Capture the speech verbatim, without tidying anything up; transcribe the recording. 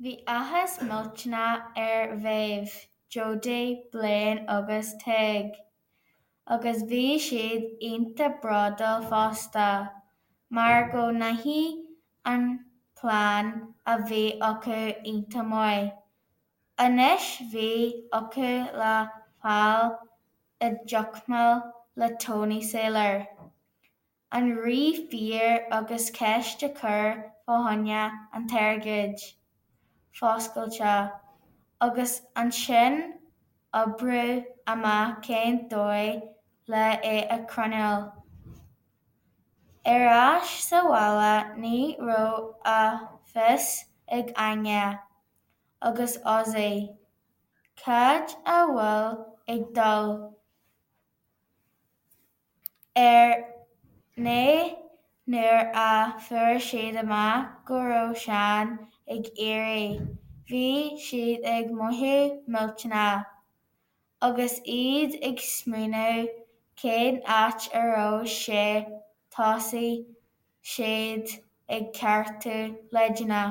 Bhí áthas millteanach ar Mhéabh, Jody, Blaine agus Tadhg, agus bhí siad iontach bródúil fosta, mar go ndeachaigh an plean a bhí acu iontach maith. Anois bhí acu le fáil i dteagmháil le Tony Sailor, an rí fir agus ceist a chur fá choinne an t-airgead fuascailte, agus ansin oibriú amach cén dóigh le é a choinneáil. Ar ais sa bhaile ní raibh a fhios ag Áine agus Ozzy cad a bhí ag dul ar aghaidh nuair a fuair siad amach go raibh Seán ag éirí, bhí siad ag mothú millteanach, agus iad ag smaoineamh cén áit a raibh sé thosaigh siad ag ceartú leideanna.